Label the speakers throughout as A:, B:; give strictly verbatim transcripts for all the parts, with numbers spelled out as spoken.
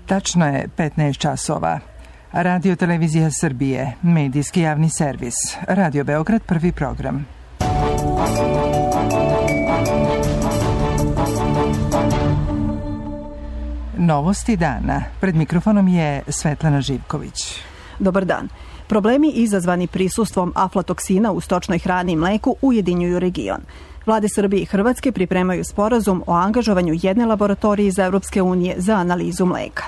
A: Tačno je petnaest časova. Radio Televizija Srbije, medijski javni servis. Radio Beograd, prvi program. Novosti dana. Pred mikrofonom je Svetlana Živković.
B: Dobar dan. Problemi izazvani prisustvom aflatoksina u stočnoj hrani i mleku ujedinjuju region. Vlade Srbije i Hrvatske pripremaju sporazum o angažovanju jedne laboratorije iz Evropske unije za analizu mleka.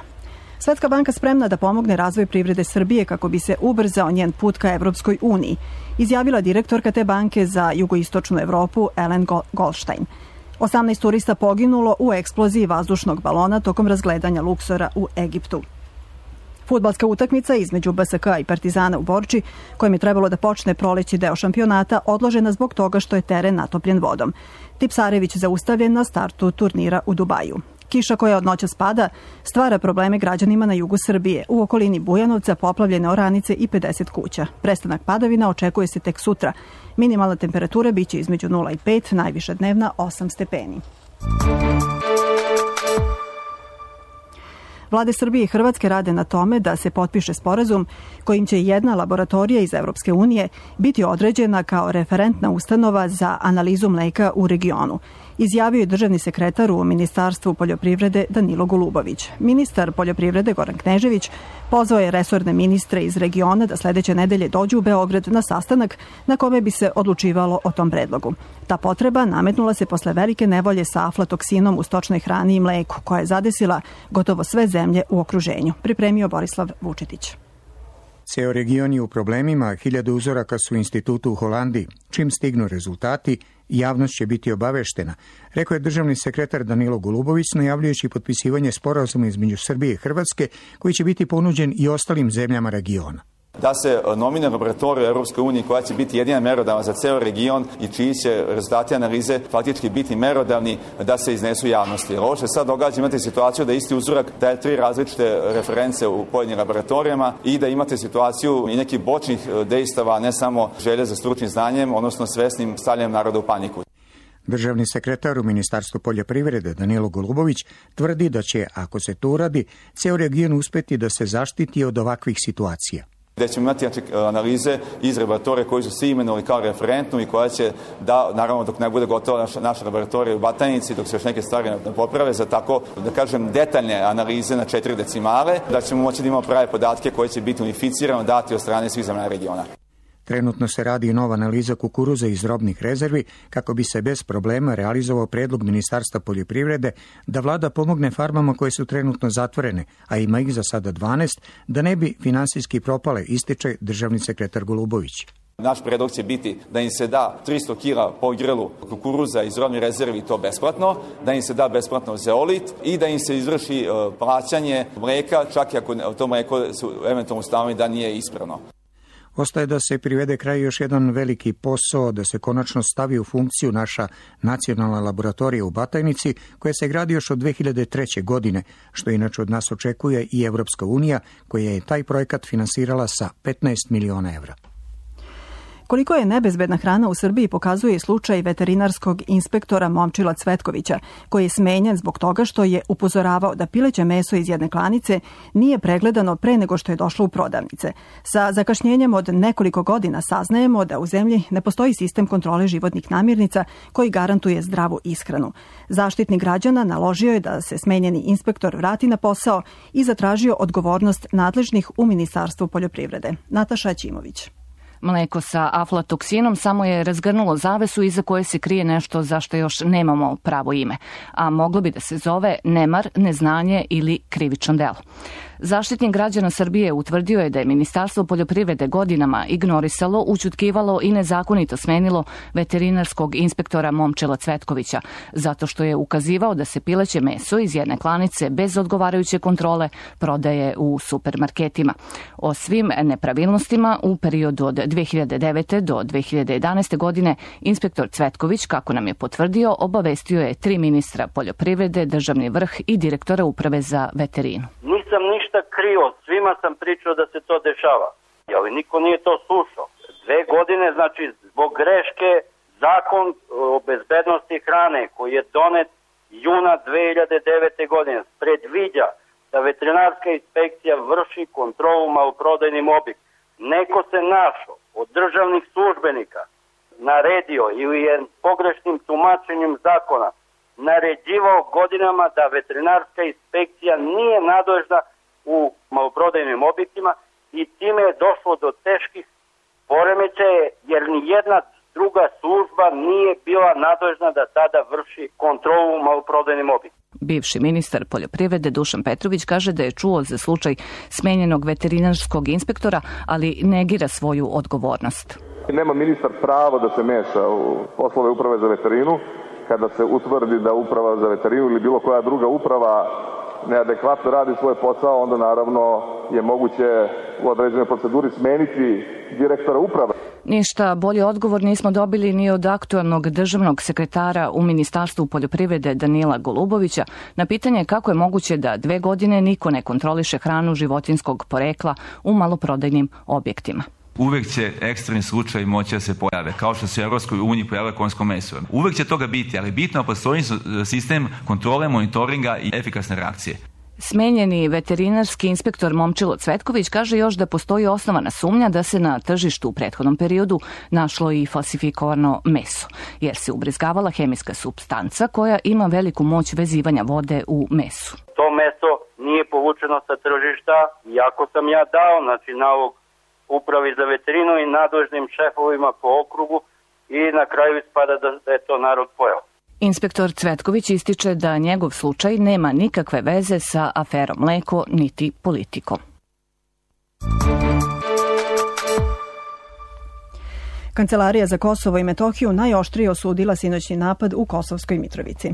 B: Svetska banka spremna da pomogne razvoj privrede Srbije kako bi se ubrzao njen put ka Evropskoj uniji, izjavila direktorka te banke za jugoistočnu Evropu Ellen Goldstein. osamnaest turista poginulo u eksploziji vazdušnog balona tokom razgledanja Luksora u Egiptu. Fudbalska utakmica između B S K i Partizana u Borči, kojim je trebalo da počne proleći deo šampionata, odložena zbog toga što je teren natopljen vodom. Tipsarević zaustavljen na startu turnira u Dubaju. Kiša koja od noća spada stvara probleme građanima na jugu Srbije. U okolini Bujanovca poplavljene oranice i pedeset kuća. Prestanak padavina očekuje se tek sutra. Minimalna temperatura biće između nula i pet, najviša dnevna osam stepeni. Vlade Srbije i Hrvatske rade na tome da se potpiše sporazum kojim će jedna laboratorija iz Evropske unije biti određena kao referentna ustanova za analizu mleka u regionu, izjavio je državni sekretar u Ministarstvu poljoprivrede Danilo Golubović. Ministar poljoprivrede Goran Knežević pozvao je resorne ministre iz regiona da sledeće nedelje dođu u Beograd na sastanak na kome bi se odlučivalo o tom predlogu. Ta potreba nametnula se posle velike nevolje sa aflatoksinom u stočnoj hrani i mleku, koja je zadesila gotovo sve zemlje u okruženju, pripremio Borislav Vučetić.
C: Ceo region je u problemima, hiljade uzoraka su u institutu u Holandiji. Čim stignu rezultati, javnost će biti obaveštena, rekao je državni sekretar Danilo Golubović, najavljujući potpisivanje sporazuma između Srbije i Hrvatske, koji će biti ponuđen i ostalim zemljama regiona.
D: Da se nomine laboratoriju Evropske unije koja će biti jedina merodavna za ceo region i čiji će rezultati analize faktički biti merodavni da se iznesu javnosti. Jer ovo što sad događa, imate situaciju da isti uzorak daje tri različite reference u pojedinim laboratorijama i da imate situaciju i nekih bočnih dejstava, ne samo želje za stručnim znanjem, odnosno svesnim stavljanjem naroda u paniku.
C: Državni sekretar u Ministarstvu poljoprivrede Danilo Golubović tvrdi da će, ako se to uradi, ceo region uspeti da se zaštiti od ovakvih situacija.
D: Gde ćemo imati znači, analize iz laboratorije koji su svi imenovali kao referentnu i koja će, da, naravno dok ne bude gotova naša, naša laboratorija u Batajnici, dok se još neke stvari ne poprave, za tako, da kažem, detaljne analize na četiri decimale, da ćemo moći da imamo prave podatke koje će biti unificirano dati od strane svih zemalja regiona.
C: Trenutno se radi i nova analiza kukuruza iz robnih rezervi kako bi se bez problema realizovao predlog Ministarstva poljoprivrede da vlada pomogne farmama koje su trenutno zatvorene, a ima ih za sada dvanaest, da ne bi finansijski propale, ističe državni sekretar Golubović.
D: Naš predlog će biti da im se da tristo kila po grlu kukuruza iz robnih rezervi, to besplatno, da im se da besplatno zeolit i da im se izvrši plaćanje mleka, čak i ako to mleko su eventualno ustanovili da nije ispravno.
C: Ostaje da se privede kraj još jedan veliki posao, da se konačno stavi u funkciju naša nacionalna laboratorija u Batajnici, koja se gradi još od dve hiljade treće. godine, što inače od nas očekuje i Evropska unija, koja je taj projekat finansirala sa petnaest miliona evra.
B: Koliko je nebezbedna hrana u Srbiji pokazuje i slučaj veterinarskog inspektora Momčila Cvetkovića, koji je smenjen zbog toga što je upozoravao da pileće meso iz jedne klanice nije pregledano pre nego što je došlo u prodavnice. Sa zakašnjenjem od nekoliko godina saznajemo da u zemlji ne postoji sistem kontrole životnih namirnica koji garantuje zdravu ishranu. Zaštitnik građana naložio je da se smenjeni inspektor vrati na posao i zatražio odgovornost nadležnih u Ministarstvu poljoprivrede. Nataša Ćimović.
E: Mleko sa aflatoksinom samo je razgrnulo zavesu iza koje se krije nešto za što još nemamo pravo ime, a moglo bi da se zove nemar, neznanje ili krivično delo. Zaštitnik građana Srbije utvrdio je da je Ministarstvo poljoprivrede godinama ignorisalo, ućutkivalo i nezakonito smenilo veterinarskog inspektora Momčila Cvetkovića, zato što je ukazivao da se pileće meso iz jedne klanice bez odgovarajuće kontrole prodaje u supermarketima. O svim nepravilnostima u periodu od dve hiljade devete. do dve hiljade jedanaeste. godine inspektor Cvetković, kako nam je potvrdio, obavestio je tri ministra poljoprivrede, državni vrh i direktora uprave za veterinu.
F: Nisam ništa krio, svima sam pričao da se to dešava, ali niko nije to slušao. Dve godine, znači, zbog greške, zakon o bezbednosti hrane koji je donet juna dve hiljade devete. godine predviđa da veterinarska inspekcija vrši kontrolu maloprodajnim objektima. Neko se našao od državnih službenika, naredio ili je pogrešnim tumačenjem zakona naređivao godinama da veterinarska inspekcija nije nadležna u maloprodajnim objektima i time je došlo do teških poremećaja jer ni jedna druga služba nije bila nadležna da tada vrši kontrolu u maloprodajnim objektima.
E: Bivši ministar poljoprivrede Dušan Petrović kaže da je čuo za slučaj smenjenog veterinarskog inspektora, ali negira svoju odgovornost.
G: Nema ministar pravo da se meša u poslove uprave za veterinu. Kada se utvrdi da uprava za veterinu ili bilo koja druga uprava neadekvatno radi svoj posao, onda naravno je moguće u određenoj proceduri smeniti direktora uprave.
E: Ništa bolji odgovor nismo dobili ni od aktualnog državnog sekretara u Ministarstvu poljoprivrede Danila Golubovića na pitanje kako je moguće da dve godine niko ne kontroliše hranu životinjskog porekla u maloprodajnim objektima.
H: Uvek će ekstremni slučajevi moći da se pojave, kao što se u Evropskoj uniji pojavilo konjsko meso. Uvek će toga biti, ali bitno je postoji sistem kontrole, monitoringa i efikasne reakcije.
E: Smenjeni veterinarski inspektor Momčilo Cvetković kaže još da postoji osnovana sumnja da se na tržištu u prethodnom periodu našlo i falsifikovano meso, jer se ubrizgavala hemijska supstanca koja ima veliku moć vezivanja vode u mesu.
F: To meso nije povučeno sa tržišta, iako sam ja dao znači, nalog upravi za veterinu i nadležnim šefovima po okrugu i na kraju ispada da je to narod pojeo.
E: Inspektor Cvetković ističe da njegov slučaj nema nikakve veze sa aferom mleko niti politikom.
B: Kancelarija za Kosovo i Metohiju najoštrije osudila sinoćni napad u Kosovskoj Mitrovici.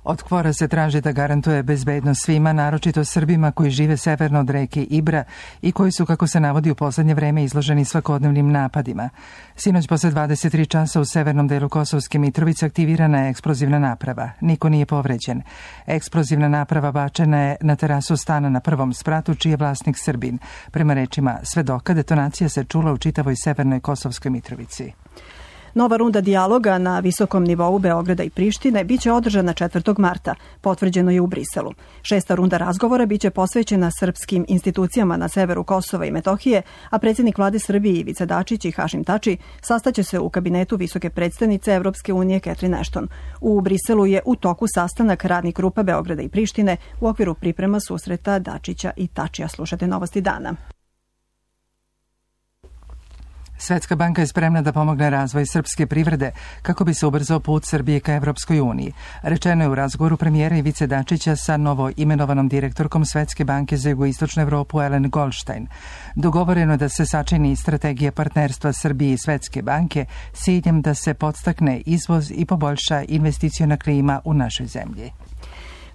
A: Od KFOR-a se traži da garantuje bezbednost svima, naročito Srbima koji žive severno od reke Ibra i koji su, kako se navodi, u poslednje vreme izloženi svakodnevnim napadima. Sinoć posle dvadeset tri časa u severnom delu Kosovske Mitrovice aktivirana je eksplozivna naprava. Niko nije povređen. Eksplozivna naprava bačena je na terasu stana na prvom spratu, čiji je vlasnik Srbin. Prema rečima svedoka, detonacija se čula u čitavoj severnoj Kosovskoj Mitrovici.
B: Nova runda dijaloga na visokom nivou Beograda i Prištine biće održana četvrtog marta, potvrđeno je u Briselu. Šesta runda razgovora biće posvećena srpskim institucijama na severu Kosova i Metohije, a predsjednik vlade Srbije Ivica Dačić i Hašim Tači sastaće se u kabinetu visoke predstavnice Evropske unije Catherine Ashton. U Briselu je u toku sastanak radnih grupa Beograda i Prištine u okviru priprema susreta Dačića i Tačija. Slušate Novosti dana.
A: Svetska banka je spremna da pomogne razvoj srpske privrede kako bi se ubrzao put Srbije ka Evropskoj uniji. Rečeno je u razgovoru premijera Ivice Dačića sa novo imenovanom direktorkom Svetske banke za jugoistočnu Evropu Ellen Goldstein. Dogovoreno je da se sačini strategija partnerstva Srbije i Svetske banke s ciljem da se podstakne izvoz i poboljša investiciona klima u našoj zemlji.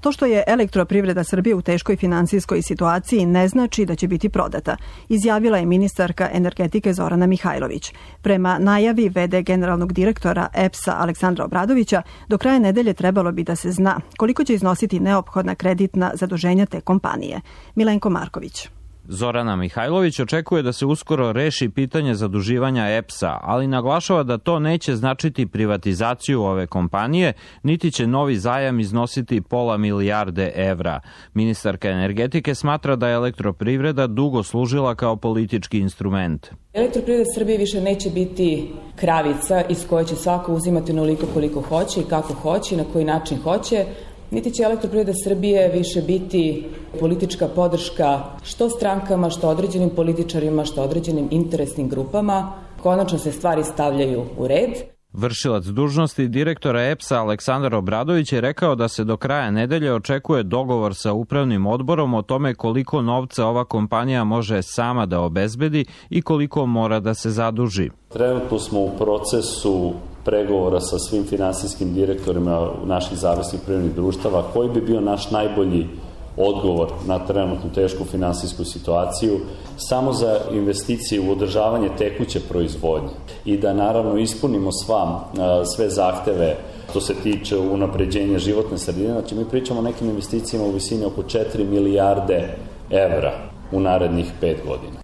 B: To što je Elektroprivreda Srbije u teškoj finansijskoj situaciji ne znači da će biti prodata, izjavila je ministarka energetike Zorana Mihajlović. Prema najavi ve de generalnog direktora E P S-a Aleksandra Obradovića, do kraja nedelje trebalo bi da se zna koliko će iznositi neophodna kreditna zaduženja te kompanije. Milenko Marković.
I: Zorana Mihajlović očekuje da se uskoro reši pitanje zaduživanja E P S-a, ali naglašava da to neće značiti privatizaciju ove kompanije, niti će novi zajam iznositi pola milijarde evra. Ministarka energetike smatra da je Elektroprivreda dugo služila kao politički instrument.
J: Elektroprivreda Srbije više neće biti kravica iz koje će svako uzimati onoliko koliko hoće i kako hoće i na koji način hoće, niti će Elektroprivreda Srbije više biti politička podrška što strankama, što određenim političarima, što određenim interesnim grupama. Konačno se stvari stavljaju u red.
I: Vršilac dužnosti direktora E P S-a Aleksandar Obradović je rekao da se do kraja nedelje očekuje dogovor sa upravnim odborom o tome koliko novca ova kompanija može sama da obezbedi i koliko mora da se zaduži.
K: Trenutno smo u procesu pregovora sa svim finansijskim direktorima naših zavisnih privrednih društava, koji bi bio naš najbolji odgovor na trenutnu tešku finansijsku situaciju, samo za investicije u održavanje tekuće proizvodnje i da naravno ispunimo sva, sve zahteve što se tiče unapređenja životne sredine. Znači mi pričamo o nekim investicijama u visini oko četiri milijarde evra u narednih pet godina.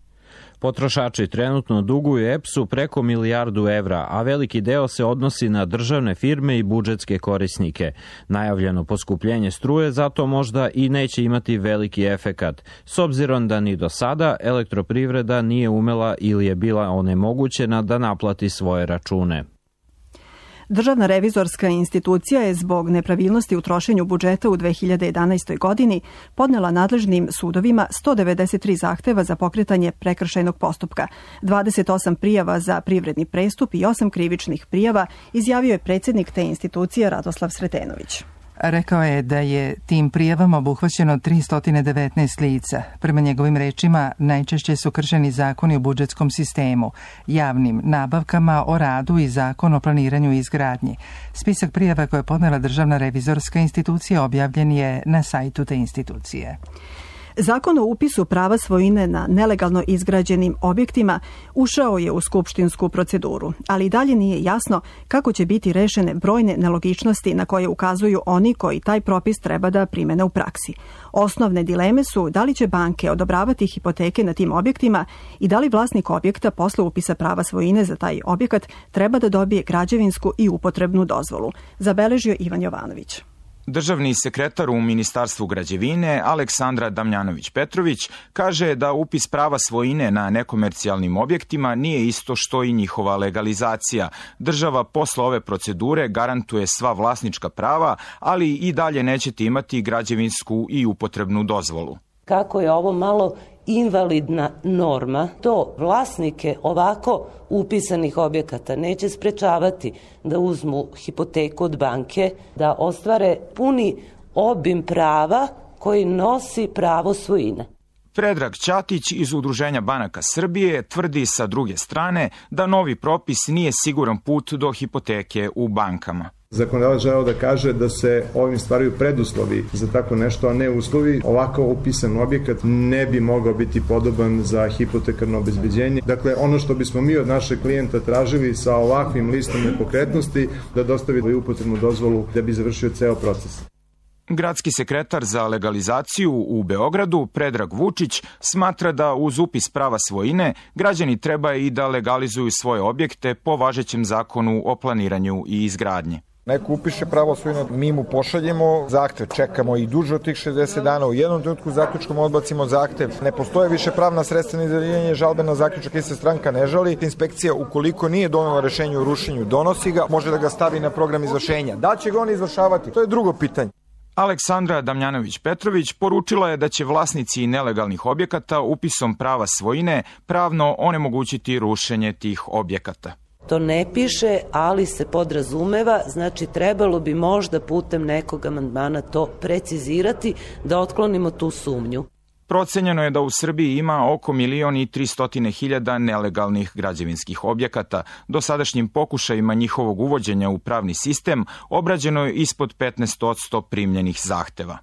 I: Potrošači trenutno duguju E P S-u preko milijardu evra, a veliki deo se odnosi na državne firme i budžetske korisnike. Najavljeno poskupljenje struje zato možda i neće imati veliki efekat, s obzirom da ni do sada elektroprivreda nije umela ili je bila onemogućena da naplati svoje račune.
B: Državna revizorska institucija je zbog nepravilnosti u trošenju budžeta u dve hiljade jedanaestoj. godini podnela nadležnim sudovima sto devedeset tri zahteva za pokretanje prekršajnog postupka, dvadeset osam prijava za privredni prestup i osam krivičnih prijava, izjavio je predsjednik te institucije Radoslav Sretenović.
A: Rekao je da je tim prijavama obuhvaćeno tristo devetnaest lica. Prema njegovim rečima, najčešće su kršeni zakoni u budžetskom sistemu, javnim nabavkama, o radu i zakon o planiranju i izgradnji. Spisak prijava koje je podnela Državna revizorska institucija objavljen je na sajtu te institucije.
B: Zakon o upisu prava svojine na nelegalno izgrađenim objektima ušao je u skupštinsku proceduru, ali i dalje nije jasno kako će biti rešene brojne nelogičnosti na koje ukazuju oni koji taj propis treba da primene u praksi. Osnovne dileme su da li će banke odobravati hipoteke na tim objektima i da li vlasnik objekta posle upisa prava svojine za taj objekat treba da dobije građevinsku i upotrebnu dozvolu, zabeležio Ivan Jovanović.
L: Državni sekretar u Ministarstvu građevine Aleksandra Damjanović-Petrović kaže da upis prava svojine na nekomercijalnim objektima nije isto što i njihova legalizacija. Država posle ove procedure garantuje sva vlasnička prava, ali i dalje nećete imati građevinsku i upotrebnu dozvolu.
M: Kako je ovo malo invalidna norma, to vlasnike ovako upisanih objekata neće sprečavati da uzmu hipoteku od banke, da ostvare puni obim prava koji nosi pravo svojine.
L: Predrag Ćatić iz Udruženja banaka Srbije tvrdi sa druge strane da novi propis nije siguran put do hipoteke u bankama.
N: Zakonodavac želeo da kaže da se ovim stvaraju preduslovi za tako nešto, a ne uslovi. Ovako upisan objekat ne bi mogao biti podoban za hipotekarno obezbeđenje. Dakle, ono što bismo mi od našeg klijenta tražili sa ovakvim listom nepokretnosti, da dostavi upotrebnu dozvolu da bi završio ceo proces.
L: Gradski sekretar za legalizaciju u Beogradu, Predrag Vučić, smatra da uz upis prava svojine građani treba i da legalizuju svoje objekte po važećem zakonu o planiranju i izgradnji.
O: Neko upiše pravo svojine, mi mu pošaljemo zahtev, čekamo i duže od tih šezdeset dana, u jednom trenutku zaključkom odbacimo zahtev, ne postoje više pravna sredstva ni za žalbe na zaključak i se stranka ne žali. Inspekcija, ukoliko nije donela rešenje o rušenju, donosi ga, može da ga stavi na program izvršenja. Da će ga on izvršavati, to je drugo pitanje.
L: Aleksandra Damjanović-Petrović poručila je da će vlasnici nelegalnih objekata upisom prava svojine pravno onemogućiti rušenje tih objekata.
M: To ne piše, ali se podrazumeva, znači trebalo bi možda putem nekog amandmana to precizirati da otklonimo tu sumnju.
L: Procenjeno je da u Srbiji ima oko milion i tristotine hiljada nelegalnih građevinskih objekata. Dosadašnjim pokušajima njihovog uvođenja u pravni sistem obrađeno je ispod petnaest posto primljenih zahteva.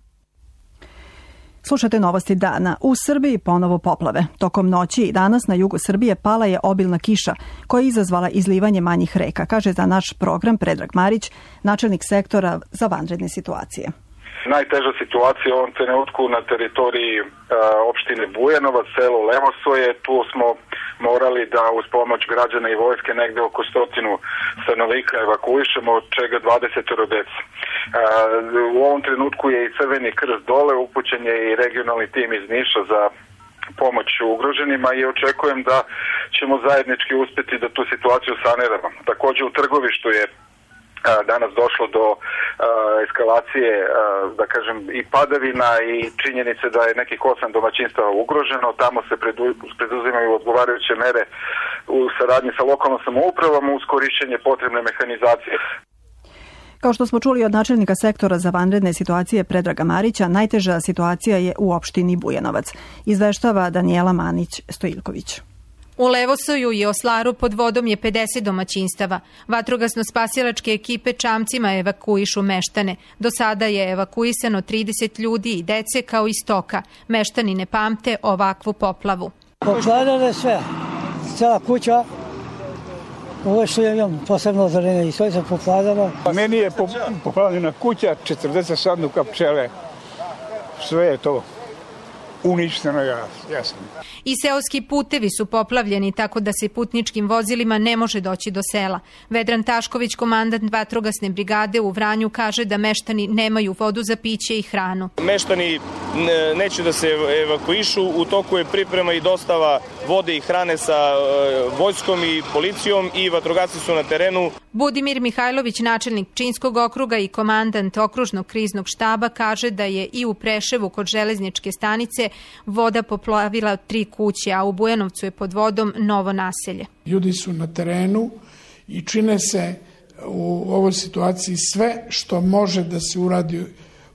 B: Slušate novosti dana. U Srbiji ponovo poplave. Tokom noći i danas na jugu Srbije pala je obilna kiša koja je izazvala izlivanje manjih reka, kaže za naš program Predrag Marić, načelnik sektora za vanredne situacije.
P: Najteža situacija u ovom trenutku na teritoriji e, opštine Bujanovac, selo Levosoje. Tu smo morali da uz pomoć građana i vojske negde oko stotinu stanovnika evakuišemo, od čega dvadeset dece. E, u ovom trenutku je i Crveni krst dole, upućen je i regionalni tim iz Niša za pomoć ugroženima i očekujem da ćemo zajednički uspeti da tu situaciju saniramo. Takođe u Trgovištu je danas došlo do uh, eskalacije, uh, da kažem, i padavina i činjenice da je nekih osam domaćinstava ugroženo. Tamo se predu, preduzimaju odgovarajuće mere u saradnji sa lokalnom samoupravom uz korišćenje potrebne mehanizacije.
B: Kao što smo čuli od načelnika sektora za vanredne situacije Predraga Marića, najteža situacija je u opštini Bujanovac, izveštava Danijela Manić-Stojilković.
Q: U Levosoju i Oslaru pod vodom je pedeset domaćinstava. Vatrogasno-spasilačke ekipe čamcima evakuišu meštane. Do sada je evakuisano trideset ljudi i dece kao i stoka. Meštani ne pamte ovakvu poplavu.
R: Poplavljeno je sve. Cela kuća. Ovo što je imam posebno ozarene i sve se poplavljava.
S: Meni je poplavljena kuća, četrdeset sanduka pčele. Sve je to uništeno, ja, jasno.
Q: I seoski putevi su poplavljeni tako da se putničkim vozilima ne može doći do sela. Vedran Tašković, komandant vatrogasne brigade u Vranju, kaže da meštani nemaju vodu za piće i hranu.
T: Meštani neće da se evakuišu, u toku je priprema i dostava vode i hrane sa vojskom i policijom i vatrogasci su na terenu.
Q: Budimir Mihajlović, načelnik Pčinjskog okruga i komandant okružnog kriznog štaba, kaže da je i u Preševu kod železničke stanice voda poplavila tri kuće, a u Bujanovcu je pod vodom novo naselje.
S: Ljudi su na terenu i čine se u ovoj situaciji sve što može da se uradi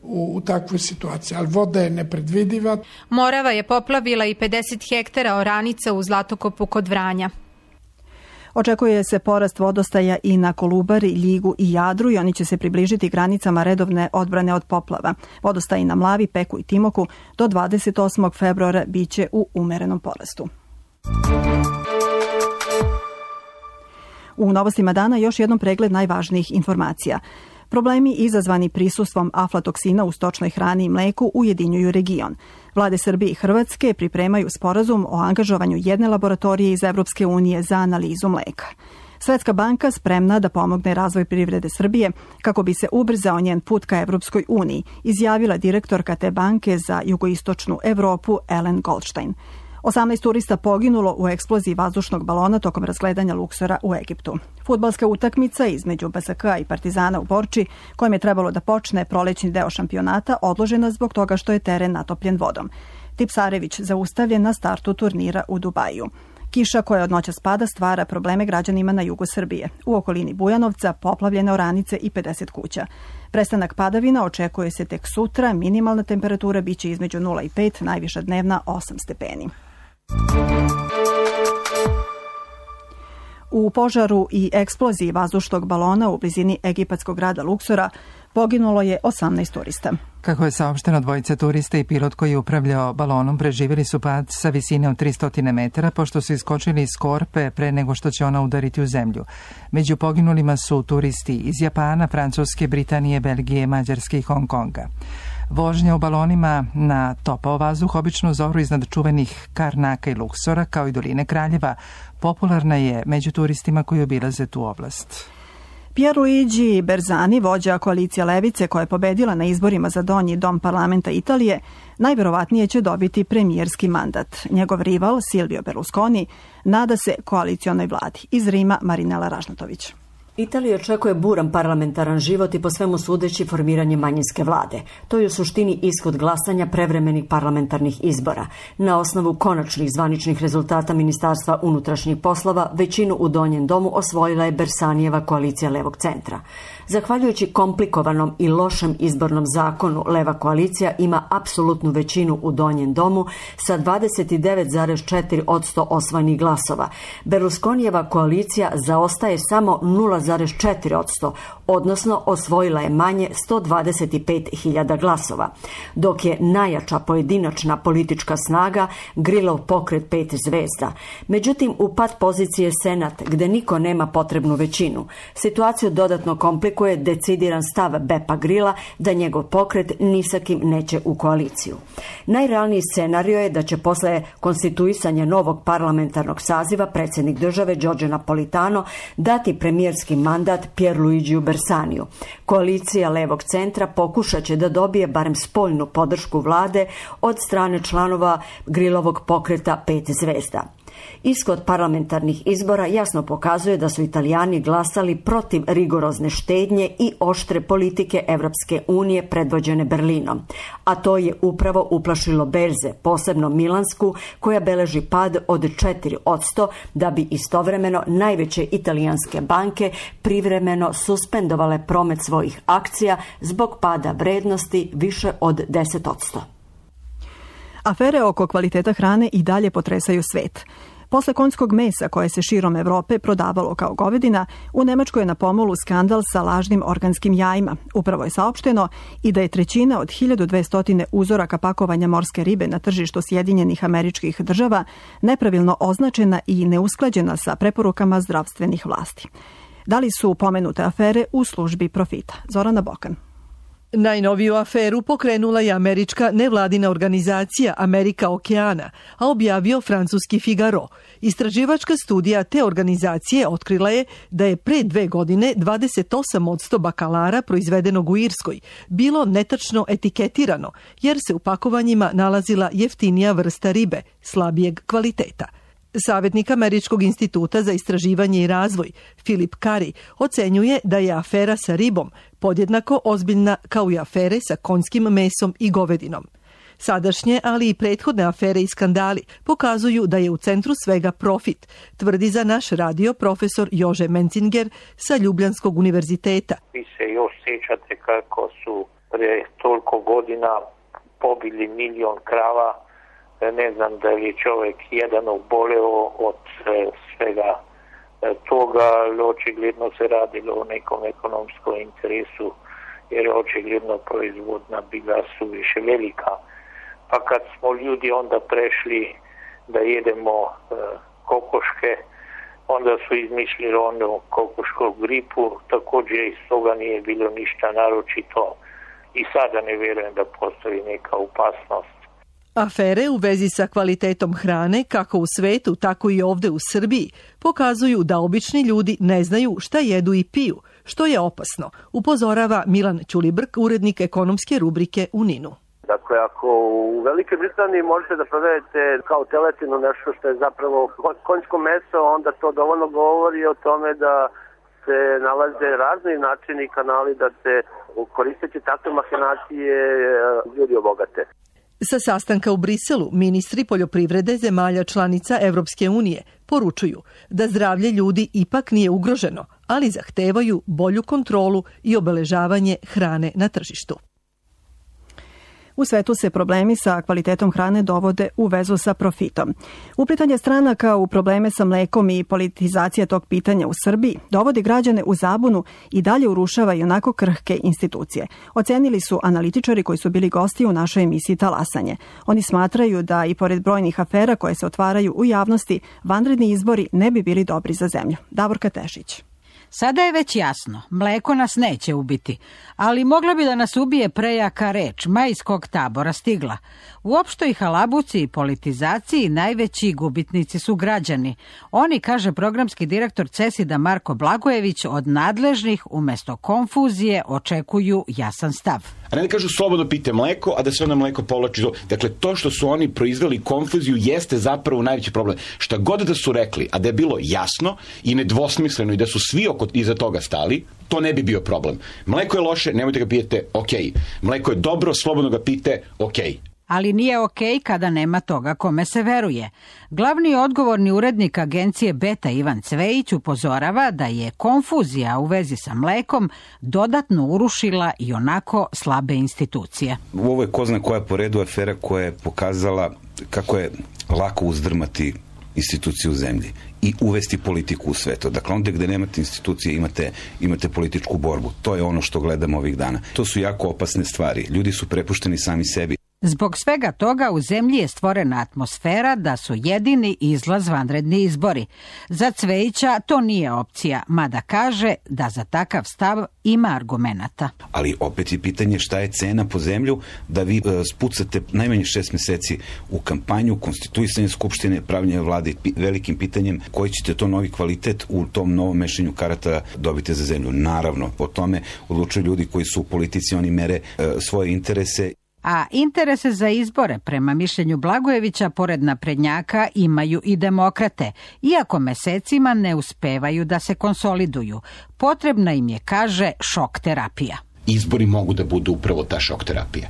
S: u, u takvoj situaciji, ali voda je nepredvidiva.
Q: Morava je poplavila i pedeset hektara oranica u Zlatokopu kod Vranja.
B: Očekuje se porast vodostaja i na Kolubari, Ljigu i Jadru i oni će se približiti granicama redovne odbrane od poplava. Vodostaji na Mlavi, Peku i Timoku do dvadeset osmog februara biće u umerenom porastu. U novostima dana još jednom pregled najvažnijih informacija. Problemi izazvani prisustvom aflatoksina u stočnoj hrani i mleku ujedinjuju region. Vlade Srbije i Hrvatske pripremaju sporazum o angažovanju jedne laboratorije iz Evropske unije za analizu mleka. Svetska banka spremna da pomogne razvoj privrede Srbije kako bi se ubrzao njen put ka Evropskoj uniji, izjavila direktorka te banke za jugoistočnu Evropu Ellen Goldstein. osamnaest turista poginulo u eksploziji vazdušnog balona tokom razgledanja luksora u Egiptu. Fudbalska utakmica između B S K i Partizana u Borči, kojem je trebalo da počne prolećni deo šampionata, odložena zbog toga što je teren natopljen vodom. Tipsarević zaustavljen na startu turnira u Dubaju. Kiša koja od noća spada stvara probleme građanima na jugu Srbije. U okolini Bujanovca poplavljene oranice i pedeset kuća. Prestanak padavina očekuje se tek sutra, minimalna temperatura biće između nula i pet, najviša dnevna osam stepeni. U požaru i eksploziji vazdušnog balona u blizini egipatskog grada Luksora poginulo je osamnaest turista.
A: Kako je saopšteno, dvojica turista i pilot koji je upravljao balonom preživjeli su pad sa visine od tristo metara pošto su iskočili iz korpe pre nego što će ona udariti u zemlju. Među poginulima su turisti iz Japana, Francuske, Britanije, Belgije, Mađarske i Hong Konga. Vožnja u balonima na topao vazduh, obično zoru iznad čuvenih Karnaka i Luksora, kao i doline Kraljeva, popularna je među turistima koji obilaze tu oblast.
B: Pierluigi Bersani, vođa koalicije Levice koja je pobedila na izborima za donji dom parlamenta Italije, najverovatnije će dobiti premijerski mandat. Njegov rival Silvio Berlusconi nada se koalicionoj vladi. Iz Rima Marinela Ražnatović.
U: Italija očekuje buran parlamentaran život i po svemu sudeći formiranje manjinske vlade. To je u suštini ishod glasanja prevremenih parlamentarnih izbora. Na osnovu konačnih zvaničnih rezultata Ministarstva unutrašnjih poslova, većinu u Donjem domu osvojila je Bersanijeva koalicija levog centra. Zahvaljujući komplikovanom i lošem izbornom zakonu, leva koalicija ima apsolutnu većinu u Donjem domu sa dvadeset devet zarez četiri posto osvojenih glasova. Berlusconijeva koalicija zaostaje samo nula zarez četiri posto, odnosno osvojila je manje sto dvadeset pet hiljada glasova, dok je najjača pojedinačna politička snaga Grillov pokret pet zvezda. Međutim, u pad pozicije Senat, gde niko nema potrebnu većinu. Situaciju dodatno komplikuje decidiran stav Bepa Grilla da njegov pokret ni sa kim neće u koaliciju. Najrealniji scenario je da će posle konstituisanja novog parlamentarnog saziva predsjednik države Giorgio Napolitano dati premijerski mandat Pierluigiju Bersaniju. Koalicija levog centra pokušat će da dobije barem spoljnu podršku vlade od strane članova Grillovog pokreta pet zvezda. Ishod parlamentarnih izbora jasno pokazuje da su Italijani glasali protiv rigorozne štednje i oštre politike Evropske unije predvođene Berlinom, a to je upravo uplašilo berze, posebno milansku, koja beleži pad od četiri posto, da bi istovremeno najveće italijanske banke privremeno suspendovale promet svojih akcija zbog pada vrednosti više od deset posto.
B: Afere oko kvaliteta hrane i dalje potresaju svet. Posle konjskog mesa koje se širom Evrope prodavalo kao govedina, u Nemačkoj je na pomolu skandal sa lažnim organskim jajima. Upravo je saopšteno i da je trećina od hiljadu dvesta uzoraka pakovanja morske ribe na tržištu Sjedinjenih Američkih Država nepravilno označena i neusklađena sa preporukama zdravstvenih vlasti. Da li su pomenute afere u službi profita? Zorana Bokan.
D: Najnoviju aferu pokrenula je američka nevladina organizacija Amerika okeana, a objavio francuski Figaro. Istraživačka studija te organizacije otkrila je da je pre dve godine dvadeset osam posto bakalara proizvedenog u Irskoj bilo netačno etiketirano, jer se u pakovanjima nalazila jeftinija vrsta ribe, slabijeg kvaliteta. Savjetnik Američkog instituta za istraživanje i razvoj, Philip Curry, ocenjuje da je afera sa ribom podjednako ozbiljna kao i afere sa konjskim mesom i govedinom. Sadašnje, ali i prethodne afere i skandali pokazuju da je u centru svega profit, tvrdi za naš radio profesor Jože Mencinger sa Ljubljanskog univerziteta.
V: Vi se još sjećate kako su pre toliko godina pobili milion krava. Ne znam da li je čovjek jedan oboleo od svega toga, ali očigledno se radilo o nekom ekonomskom interesu, jer je očigledno proizvodna bila suviše velika. Pa kad smo ljudi onda prešli da jedemo kokoške, onda su izmislili onu kokošku gripu, također iz toga nije bilo ništa naročito i sada ne vjerujem da postoji neka opasnost.
D: Afere u vezi sa kvalitetom hrane, kako u svetu, tako i ovde u Srbiji, pokazuju da obični ljudi ne znaju šta jedu i piju, što je opasno, upozorava Milan Ćulibrk, urednik ekonomske rubrike u Ninu.
W: Dakle, ako u Velikoj Britaniji možete da prodajete kao teletinu nešto što je zapravo konjsko meso, onda to dovoljno govori o tome da se nalaze razni načini i kanali da se koristeći takve mahinacije ljudi obogate.
D: Sa sastanka u Briselu ministri poljoprivrede zemalja članica Evropske unije poručuju da zdravlje ljudi ipak nije ugroženo, ali zahtevaju bolju kontrolu i obeležavanje hrane na tržištu.
B: U svetu se problemi sa kvalitetom hrane dovode u vezu sa profitom. Uplitanje stranaka u probleme sa mlekom i politizacija tog pitanja u Srbiji dovodi građane u zabunu i dalje urušava i onako krhke institucije. Ocenili su analitičari koji su bili gosti u našoj emisiji Talasanje. Oni smatraju da i pored brojnih afera koje se otvaraju u javnosti, vanredni izbori ne bi bili dobri za zemlju. Davorka Tešić.
X: Sada je već jasno, mleko nas neće ubiti, ali mogla bi da nas ubije prejaka reč majskog tabora stigla. U opštoj halabuci i politizaciji najveći gubitnici su građani. Oni, kaže programski direktor Cesida Marko Blagojević, od nadležnih umesto konfuzije očekuju jasan stav.
Y: A ne da kažu slobodno pite mleko, a da se onda mleko povlači. Dakle, to što su oni proizveli konfuziju jeste zapravo najveći problem. Šta god da su rekli, a da je bilo jasno i nedvosmisleno i da su svi oko iza toga stali, to ne bi bio problem. Mleko je loše, nemojte ga pijete, ok. Mleko je dobro, slobodno ga pite, ok.
X: Ali nije okej kada nema toga kome se veruje. Glavni odgovorni urednik agencije Beta Ivan Cvejić upozorava da je konfuzija u vezi sa mlekom dodatno urušila i onako slabe institucije.
Z: Ovo je ko zna koja po redu afera koja je pokazala kako je lako uzdrmati institucije u zemlji i uvesti politiku u svetu. Dakle, onda gde nemate institucije imate, imate političku borbu. To je ono što gledamo ovih dana. To su jako opasne stvari. Ljudi su prepušteni sami sebi.
X: Zbog svega toga u zemlji je stvorena atmosfera da su jedini izlaz vanredni izbori. Za Cvejića to nije opcija, mada kaže da za takav stav ima argumenata.
Z: Ali opet je pitanje šta je cena po zemlju da vi uh, spucate najmanje šest meseci u kampanju, konstituisanje skupštine, pravljenje vlade velikim pitanjem koji ćete to novi kvalitet u tom novom mešenju karata dobiti za zemlju. Naravno, po tome odlučuju ljudi koji su u politici, oni mere uh, svoje interese.
X: A interese za izbore, prema mišljenju Blagojevića, pored naprednjaka imaju i demokrate, iako mesecima ne uspevaju da se konsoliduju. Potrebna im je, kaže, šok terapija.
Y: Izbori mogu da budu upravo ta šok terapija,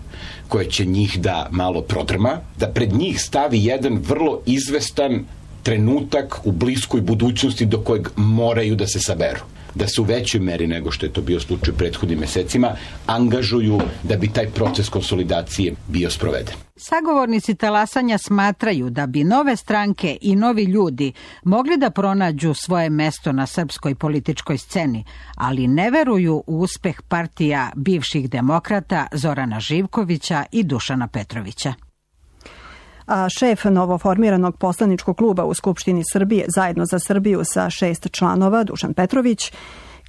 Y: koja će njih da malo prodrma, da pred njih stavi jedan vrlo izvestan trenutak u bliskoj budućnosti do kojeg moraju da se saberu. Da se u većoj meri nego što je to bio slučaj prethodnim mesecima angažuju da bi taj proces konsolidacije bio sproveden.
X: Sagovornici talasanja smatraju da bi nove stranke i novi ljudi mogli da pronađu svoje mesto na srpskoj političkoj sceni, ali ne veruju u uspeh partija bivših demokrata Zorana Živkovića i Dušana Petrovića.
B: A šef novoformiranog poslaničkog kluba u Skupštini Srbije Zajedno za Srbiju sa šest članova, Dušan Petrović,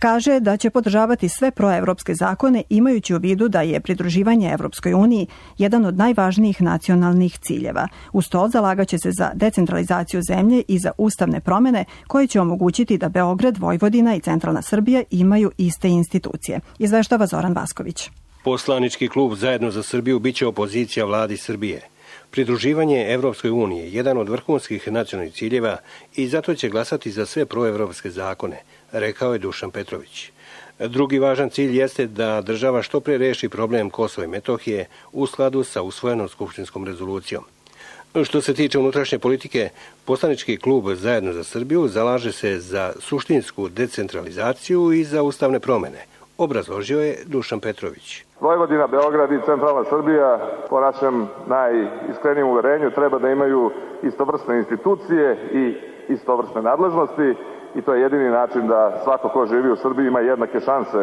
B: Kaže da će podržavati sve proevropske zakone imajući u vidu da je pridruživanje Evropskoj uniji jedan od najvažnijih nacionalnih ciljeva. Uz to zalagaće se za decentralizaciju zemlje i za ustavne promene koje će omogućiti da Beograd, Vojvodina i centralna Srbija imaju iste institucije. Izveštava Zoran Vasković.
C: Poslanički klub Zajedno za Srbiju biće opozicija vladi Srbije. Pridruživanje Evropskoj uniji je jedan od vrhunskih nacionalnih ciljeva i zato će glasati za sve proevropske zakone, rekao je Dušan Petrović. Drugi važan cilj jeste da država što pre reši problem Kosova i Metohije u skladu sa usvojenom skupštinskom rezolucijom. Što se tiče unutrašnje politike, poslanički klub Zajedno za Srbiju zalaže se za suštinsku decentralizaciju i za ustavne promene, obrazložio je Dušan Petrović.
E: Vojvodina, Beograd i centralna Srbija, po našem najiskrenijim uverenju, treba da imaju istovrsne institucije i istovrsne nadležnosti i to je jedini način da svako ko živi u Srbiji ima jednake šanse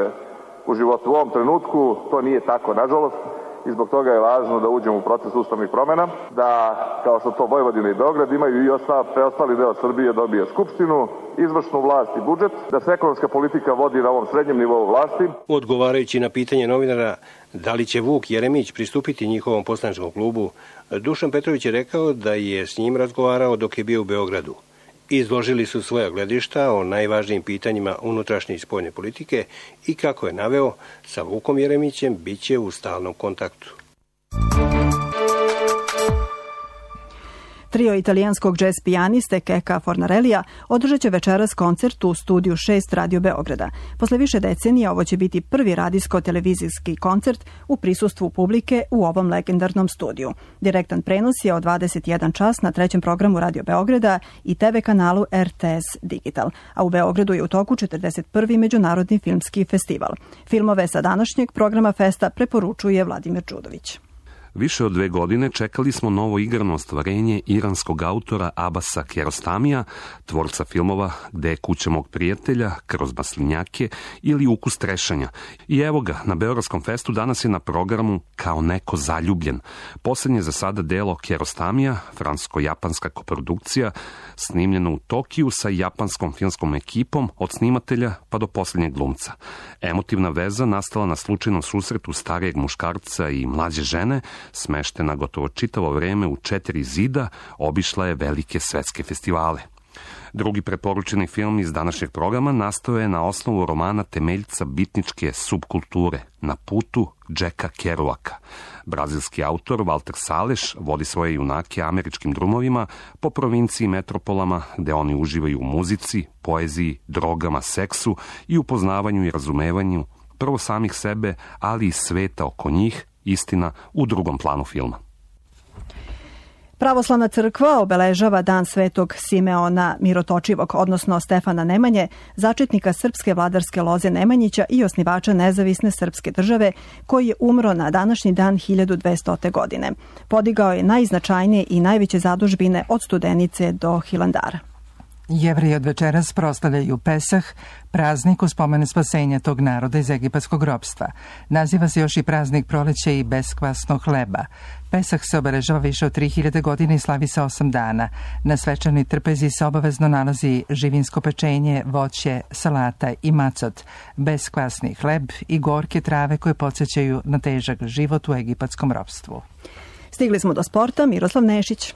E: u životu. U ovom trenutku to nije tako, nažalost, i zbog toga je važno da uđemo u proces ustavnih promena, da, kao što to Vojvodina i Beograd imaju i ostali, preostali deo Srbije dobije skupštinu, izvršnu vlast i budžet, da se ekonomska politika vodi na ovom srednjem nivou vlasti.
C: Odgovarajući na pitanje novinara da li će Vuk Jeremić pristupiti njihovom poslaničkom klubu, Dušan Petrović je rekao da je s njim razgovarao dok je bio u Beogradu. Izložili su svoja gledišta o najvažnijim pitanjima unutrašnje i spoljne politike i, kako je naveo, sa Vukom Jeremićem bit će u stalnom kontaktu.
B: Trio italijanskog džez pijaniste Keka Fornarellija održat će večeras koncert u studiju šest Radio Beograda. Posle više decenija ovo će biti prvi radijsko-televizijski koncert u prisustvu publike u ovom legendarnom studiju. Direktan prenos je od dvadeset jedan čas na trećem programu Radio Beograda i te ve kanalu er te es Digital, a u Beogradu je u toku četrdeset prvi Međunarodni filmski festival. Filmove sa današnjeg programa festa preporučuje Vladimir Đudović.
F: Više od dve godine čekali smo novo igrano ostvarenje iranskog autora Abasa Kiarostamija, tvorca filmova Gde je kuća mog prijatelja, Kroz maslinjake ili Ukus trešanja. I evo ga, na Beogradskom festu danas je na programu Kao neko zaljubljen. Poslednje za sada delo Kiarostamija, francusko-japanska koprodukcija, snimljeno u Tokiju sa japanskom filmskom ekipom od snimatelja pa do poslednjeg glumca. Emotivna veza nastala na slučajnom susretu starijeg muškarca i mlađe žene, smeštena gotovo čitavo vreme u četiri zida, obišla je velike svetske festivale. Drugi preporučeni film iz današnjeg programa nastao je na osnovu romana temeljca bitničke subkulture Na putu Jacka Kerouaka. Brazilski autor Walter Salles vodi svoje junake američkim drumovima po provinciji i metropolama gde oni uživaju u muzici, poeziji, drogama, seksu i upoznavanju i razumevanju prvo samih sebe, ali i sveta oko njih, istina u drugom planu filma.
B: Pravoslavna crkva obeležava dan Svetog Simeona Mirotočivog, odnosno Stefana Nemanje, začetnika srpske vladarske loze Nemanjića i osnivača nezavisne srpske države, koji je umro na današnji dan hiljadu dvestote. godine. Podigao je najznačajnije i najveće zadužbine od Studenice do Hilandara.
A: Jevreji od večeras proslavljaju Pesah, praznik u spomenu spasenja tog naroda iz egipatskog ropstva. Naziva se još i praznik proleća i beskvasnog hleba. Pesah se obeležava više od tri hiljade godina i slavi se osam dana. Na svečanoj trpezi se obavezno nalazi živinsko pečenje, voće, salata i macot, beskvasni hleb i gorke trave koje podsjećaju na težak život u egipatskom ropstvu.
B: Stigli smo do sporta. Miroslav Nešić.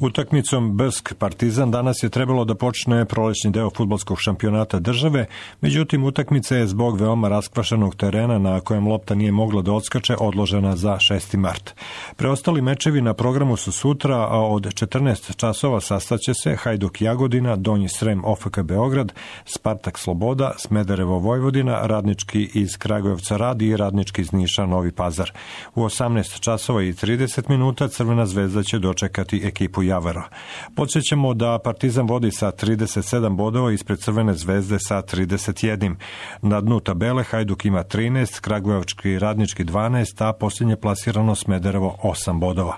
G: Utakmicom Brsk Partizan danas je trebalo da počne prolećni deo fudbalskog šampionata države, međutim utakmica je zbog veoma raskvašenog terena na kojem lopta nije mogla da odskače odložena za šesti mart. Preostali mečevi na programu su sutra, a od četrnaest časova sastaće se Hajduk Jagodina, Donji Srem O F K Beograd, Spartak Sloboda, Smederevo Vojvodina, Radnički iz Kragujevca Rad i Radnički iz Niša Novi Pazar. U osamnaest časova i trideset minuta Crvena zvezda će dočekati ekipu Javara. Podsjećamo da Partizan vodi sa trideset sedam bodova ispred Crvene zvezde sa trideset jedan. Na dnu tabele Hajduk ima trinaest, Kragujevački Radnički dvanaest, a posljednje plasirano Smederevo osam bodova.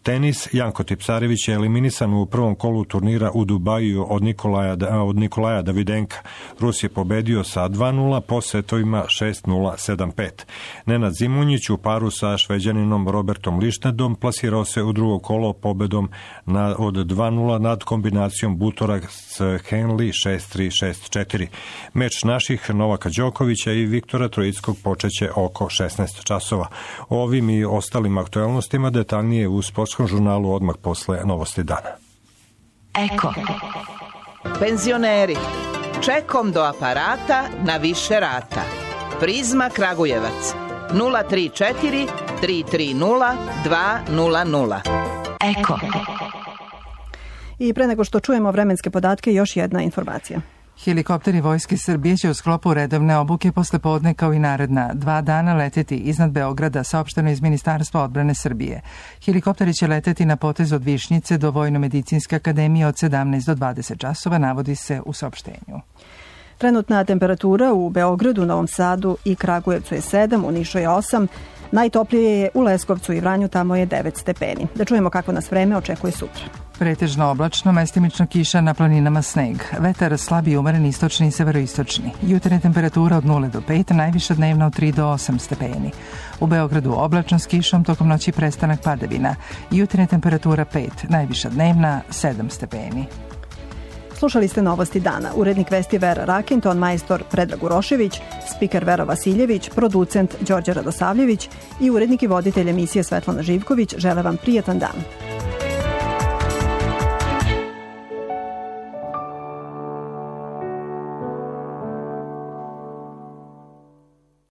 G: Tenis, Janko Tipsarević je eliminisan u prvom kolu turnira u Dubaju od Nikolaja, od Nikolaja Davidenka. Rus je pobedio sa dva nula po setovima šest nula, sedam pet. Nenad Zimunjić u paru sa Šveđaninom Robertom Lištnedom plasirao se u drugo kolo pobedom na, od dva nula nad kombinacijom Butorak s Henley šest tri, šest četiri. Meč naših Novaka Đokovića i Viktora Trojickog počeće oko šesnaest časova. O ovim i ostalim aktualnostima detaljnije u Sportskom žurnalu odmah posle Novosti dana.
H: Eko. Penzioneri. Čekom do aparata na više rata. Prizma Kragujevac. nula tri četiri, tri tri nula, dva nula nula. Eko.
B: I pre nego što čujemo vremenske podatke, još jedna informacija.
A: Helikopteri Vojske Srbije će u sklopu redovne obuke posle podne kao i naredna dva dana leteti iznad Beograda, saopšteno iz Ministarstva odbrane Srbije. Helikopteri će leteti na potez od Višnjice do Vojno-medicinske akademije od sedamnaest do dvadeset časova, navodi se u saopštenju.
B: Trenutna temperatura u Beogradu, Novom Sadu i Kragujevcu je sedam, u Nišu je osam, najtoplije je u Leskovcu i Vranju, tamo je devet stepeni. Da čujemo kako nas vreme očekuje sutra.
A: Pretežno oblačno, mestimično kiša, na planinama sneg. Vetar slabi umeren istočni i severoistočni. Jutarnja temperatura od nula do pet, najviša dnevna od tri do osam stepeni. U Beogradu oblačno s kišom, tokom noći prestanak padavina. Jutarnja temperatura pet, najviša dnevna sedam stepeni.
B: Slušali ste Novosti dana. Urednik vesti Vera Rakin, ton majstor Predrag Urošević, spiker Vera Vasiljević, producent Đorđe Radosavljević i urednik i voditelj emisije Svetlana Živković žele vam prijatan dan.